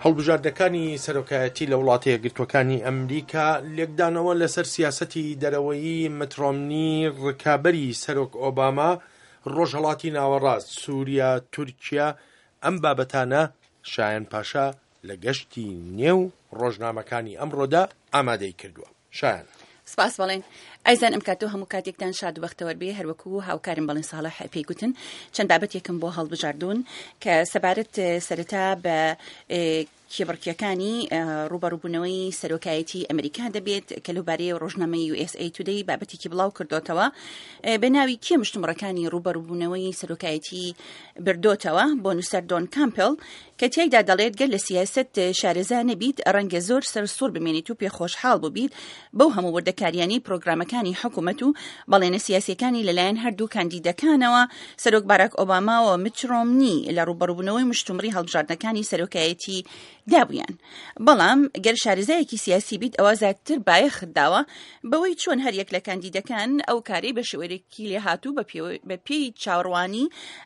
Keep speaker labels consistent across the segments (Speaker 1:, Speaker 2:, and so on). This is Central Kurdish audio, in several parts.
Speaker 1: هەڵبژاردنەکانی سەرۆکایەتی لە وڵاتە یەکگرتووەکانی ئەمریکا، لێکدانەوە لەسەر سیاسەتی دەرەوەیی مت ڕۆمنی ڕکابەری سەرۆک ئۆباما، ڕۆژهەڵاتی ناوەڕاست، سووریا، تورکیا، ئەم بابەتانە شایەن پاشا لە گەشتی نێو ڕۆژنامەکانی ئەمڕۆدا ئامادەی کردووە. شایان.
Speaker 2: سپاس بەڵێن. ئایزان ئەم کاتەو هەموو کاتێکتان شاد و بەختەوەر بێ هەروەکو هاوکارم بەڵێن ساڵح پێی گوتن چەند بابەتێکم بۆ هەڵبژاردوون کە سەبارەت سەرەتا بە کێبڕکیەکانی ڕوبەڕوبوونەوەی سەرۆکایەتی ئەمریکا دەبێت کە لەو بارەیە ڕۆژنامەی USA Today بابەتێکی بڵاو کردوتەوە بە ناوی کێ مشتومڕەکانی ڕوبەڕوبوونەوەی سەرۆکایەتی بردۆتەوە بۆ نووسەر دۆن کامپل کە تیایدا دەڵێت گەر لە سیاسەت شارەزا نەبیت ڕەنگە زۆر سەر سوڕ بمێنیت و پێخۆشحاڵ بووبیت بەو هەموو وردەکاریانەی پرۆگرامەکانی حکومەت و بەڵێنە سیاسیەکانی لەلایەن هەردوو کاندیدەکانەوە سەرۆک باراک ئۆباما و مچ ڕۆمنی لە ڕووبەڕووبوونەوەی مشتومڕی هەڵبژاردنەکانی سەرۆکایەتی دابوویان. بەڵام گەر شارەزایەکی سیاسی بیت ئەوا زیاتر بایەخت داوە بەوەی چۆن هەریەک لە کاندیدەکان ئەو کارەی بە شێوەیەکی لێهاتوو بە پێی چاوەڕوانی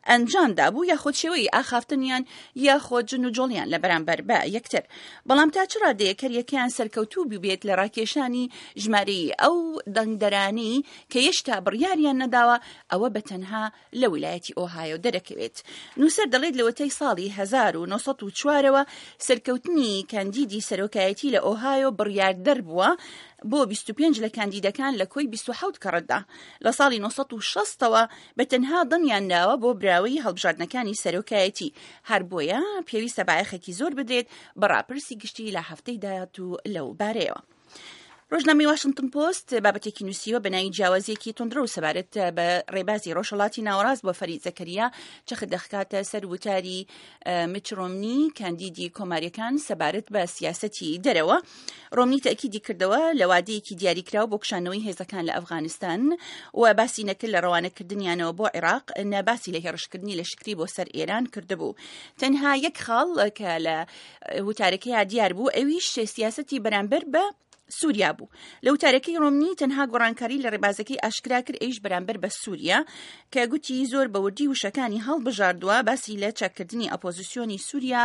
Speaker 2: ئەنجام دابوو یاخود شێوەی ئاخافتنیان یاخود جن و جۆڵیان لە بەرامبەر بە یەکتر. بەڵام تا چ ڕادەیەک هەریەکەیان سەرکەوتوو بووبێت لە ڕاکێشانی ژمارەی ئەو دەنگدەرانەی کە یێشتا بڕیاریان نەداوە ئەوە بە تەنها لە ویلایەتی ئۆهایۆ دەرەکەوێت. نووسەر دەڵێت لەوەتەی ساڵی 1904 ەوە سەرکەوتنی کاندیدی سەرۆکایەتی لە ئۆهایۆ بڕیاردەر بووە بۆ 25 لە کاندیدەکان لە کۆی 27 کەڕەتدا. لە ساڵی 960 ەوە بە تەنها دەنگیان داوە بۆ براوەی هەڵبژاردنەکانی سەرۆکایەتی. هەر بۆیە پێویستە بایەخێکی زۆر بدرێت بە ڕاپرسی گشتی لە هەفتەی داهاتوو لەو بارەیەوە. ڕۆژنامەی واشنتن پۆست بابەتێکی نووسیوە بە ناوی جیاوازیەکی توندڕەو سەبارەت بە ڕێبازی ڕۆژهەڵاتی ناوەڕاست بۆ فەرید زەکەریا چەخت دەخکاتە سەر وتاری مچ ڕۆمنی کاندیدی کۆماریەکان سەبارەت بە سیاسەتی دەرەوە ڕۆمنی تەکیدی کردەوە لە وادەیەکی دیاریکراو بۆ کشانەوەی هێزەکان لە ئەفغانستان و باسی نەکرد لە ڕەوانەکردنیانەوە بۆ عێراق نە باسی لە هێڕشکردنی لەشکری بۆ سەر ئێران کردبوو تەنها یەک خاڵ کە لە وتارەکەیا دیار بوو ئەویش سیاسەتی بەرامبەر بە سووریا بوو لە وتارەکەی ڕۆمنی تەنها گۆڕانکاری لە ڕێبازەکەی ئاشکرا کرد ئەویش بەرامبەر بە سووریا کە گوتی زۆر بە وردی وشەکانی هەڵبژاردووە باسی لە چاککردنی ئەپۆزیسیۆنی سووریا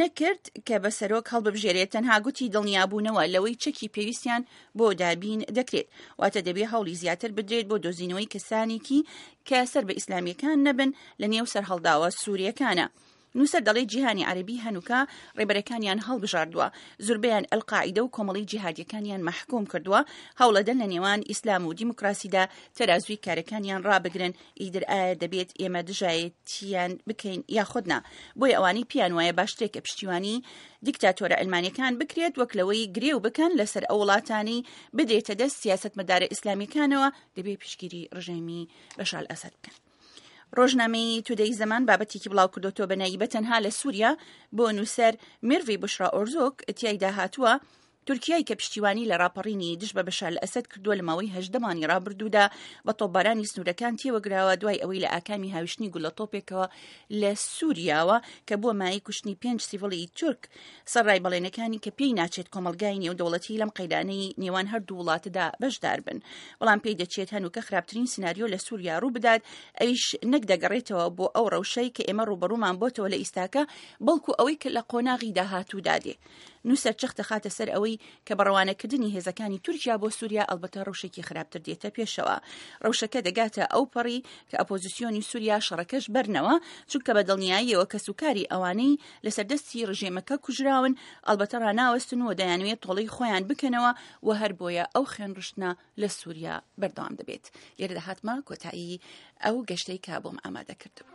Speaker 2: نەکرد کە بە سەرۆک هەڵببژێرێت تەنها گوتی دڵنیابوونەوە لەوەی چەکی پێویستیان بۆ دابین دەکرێت واتە دەبێ هەوڵی زیاتر بدرێت بۆ دۆزینەوەی کەسانێکی کە سەر بە ئیسلامیەکان نەبن لە نێو سەرهەڵداوە سووریەکانە. نووسەر دەڵێت جیهانی عەرەبی هەنووکە ڕێبەرەکانیان هەڵبژاردووە، زوربەیان ئەلقاعیدە و کۆمەڵی جیهادیەکانیان مەحکوم کردووە، هەوڵەدەن لە نێوان ئیسلام و دیموکراسیدا تەرازووی کارەکانیان ڕابگرن، ئیدر ئایا دەبێت ئێمە دژایەتیان بکەین یاخود نا؟ بۆیە ئەوانەی پێیان وایە باشترە کە پشتیوانی دیکتاتۆرە عەلمانیەکان بکرێت وەک لەوەی گرێو بکەن لەسەر ئەو وڵاتانەی بدرێتە دەست سیاسەتمەدارە ئیسلامیەکانەوە دەبێت پشتگیری ڕژێمی بەشار ئەسەد بکەن. ڕۆژنامەی تودەی زەمان بابەتێکی بڵاو کردوتەوە بە ناوی بە تەنها لە سووریا بۆ نووسەر میرڤی بشرا ئۆرزۆک تیایدا هاتووە تورکیای کە پشتیوانی لە ڕاپەڕینی دژ بە بەشار ئەسەد کردووە لە ماوەی هەژدە مانگی ڕابردوودا بە تۆپبارانی سنوورەکان تێوەگراوە دوای ئەوەی لە ئاکامی هاویشتنی گولە تۆپێکەوە لە سووریاوە کە بووە مایەی کوشتنی پێنج سیڤڵی تورک سەرڕای بەڵێنەکانی کە پێی ناچێت کۆمەڵگای نێودەوڵەتی لەم قەیرانەی نێوان هەردوو وڵاتدا بەشدار بن بەڵام پێی دەچێت هەنووکە خراپترین سیناریۆ لە سووریا ڕوو بدات ئەویش نەک دەگەڕێتەوە بۆ ئەو ڕەوشەی کە ئێمە ڕووبەڕوومان بۆتەوە لە ئیستاکە بەڵکو ئەوەی کە لە قۆناغی داهاتوودا دێ نووسەر جەخت دەخاتە سەر ئەوەی کە بە ڕەوانەکردنی هێزەکانی تورکیا بۆ سووریا ئەڵبەتە ڕەوشێکی خراپتر دێتە پێشەوە. ڕەوشەکە دەگاتە ئەوپەڕی کە ئەپۆزیسیۆنی سووریا شەڕەکەش بەرنەوە، چونکە بە دڵنیاییەوە کەسوکاری ئەوانەی لەسەر دەستی ڕژێمەکە کوژراون ئەڵبەتە ڕاناوەستن و دەیانەوێت تۆڵەی خۆیان بکەنەوە و هەر بۆیە ئەو خوێنڕشتنە لە سووریا بەردەوام دەبێت. لێرەدا هاتمە کۆتایی ئەو گەشتەی کە بۆم ئامادە کردبوو.